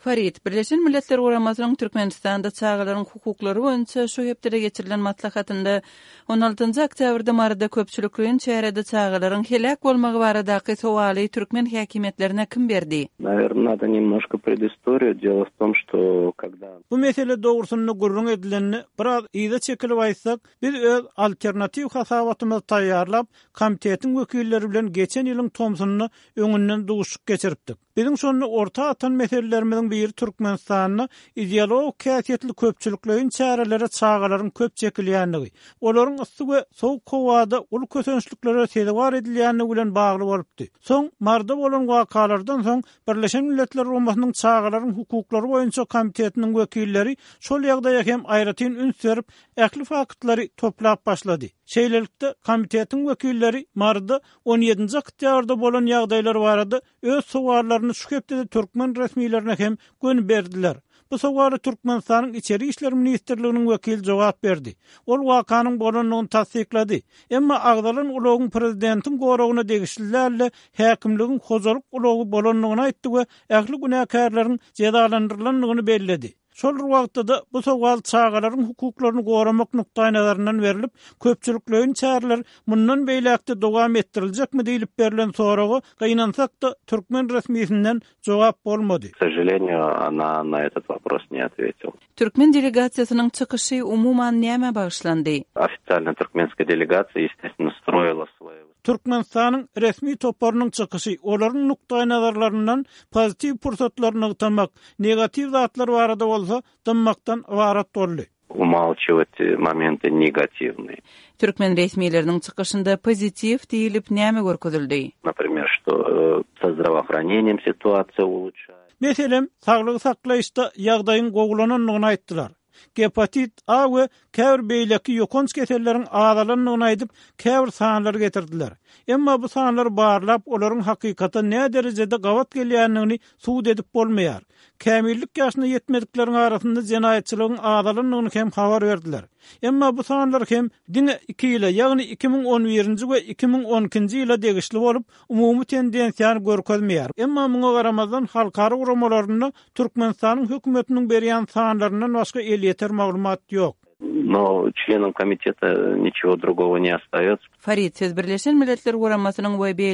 Farid, Birleşen Milletler Guramasynyň Türkmenistanda çagalaryň hukuklary boýunça şu hepdede geçirilen maslahatynda on altynjy oktýabrda Maryda köpçülikleýin çärede çagalaryň heläk bolmagy baradaky sowaly türkmen häkimiýetlerine kim berdi? Nawerno nado nemnožko predistoriýu, delo w tom, şto kogda. Bu mesele dogrusynda gürrüň edilende, biraz yza çekilip aýtsak, biz öz alternatiw hasabatymyzy taýýarlap, komitetiň wekilleri bilen geçen ýylyň tomsunda öňünden duşuşyk geçiripdik. Biziň şonda orta atan meselelerimiziň biri Türkmenistanda ideologik häsiýetli köpçülikleýin çärelere çagalaryň köp çekilýändigi, olaryň yssy we sowuk howada uly kösençliklere sezewar edilýändigi bilen bagly bolupdy. Soň Maryda bolan wakalardan soň Birleşen Milletler Guramasynyň Çagalaryň hukuklary boýunça komitetiniň wekilleri şol ýagdaýa hem aýratyn üns berip, ähli faktlary toplap başlady. Şeýlelikde, komitetiň wekilleri Maryda on ýedinji oktýabrda bolan ýagdaýlar barada öz sowallaryny şu hepdede türkmen resmilerine hem göni berdiler. Bu sowala Türkmenistanyň Içeri işler ministrliginiň wekili jogap berdi. Ol wakanyň bolandygyny tassyklady. Emma agzalan ulagyň prezidentiň goragyna degişli däl-de, häkimligiň hojalyk ulagy bolandygyny aýtdy we ähli günäkärleriň jezalandyrylandygyny belledi. Şol bir wagtda-da, bu sowal çagalaryň hukuklaryny goramak nukdaýnazaryndan berlip, köpçülikleýin çäreler mundan beýläk-de dowam etdiriljekmi diýlip berlen soraga, gynansak-da, türkmen resmisinden jogap bolmady. K sožaleniýu, ona na etot wopros ne otwetil. Türkmen delegasiýasynyň çykyşy umuman nämä bagyşlandy? Ofitsialna türkmenskaýa delegasiýa, ýestestwno, stroila svoýe. Türkmenistanyň resmi toparynyň çykyşy olaryň nukdaýnazarlaryndan pozitiw pursatlary nygtamak, negatiw zatlar barada bolsa dymmakdan ybarat boldy. Umalçiwat momenty negatiwnyý. Türkmen resmileriniň çykyşynda pozitiw diýlip näme görkezildi? Naprimer, şto sa zdravoohraneniýem situasiýa uluçaýa. Meselem, saglygy saklaýyşda ýagdaýyň gowulanandygyny aýtdylar. Gepatit A we käbir beýleki ýokanç keselleriň azalandygyny aýdyp, käbir sanlary getirdiler. Emma bu sanlary barlap, olaryň hakykata näderejede gabat gelýändigini subut edip bolmaýar. Kämillik ýaşyna ýetmedikleriň arasynda jenaýatçylygyň azalandygyny hem habar berdiler. Emma bu sanlar hem diňe iki ýyla, ýagny 2011-nji we 2012-nji ýyla degişli bolup, umumy tendensiýany görkezmeýär. Emma muňa garamazdan, halkara guramalarynda Türkmenistanyň hökümetiniň berýän sanlaryndan başga elýeter maglumat ýok. No çlenam komiteta niçego drugogo ne ostaýots. Farid, siz Birleşen Milletler Guramasynyň we beýleki.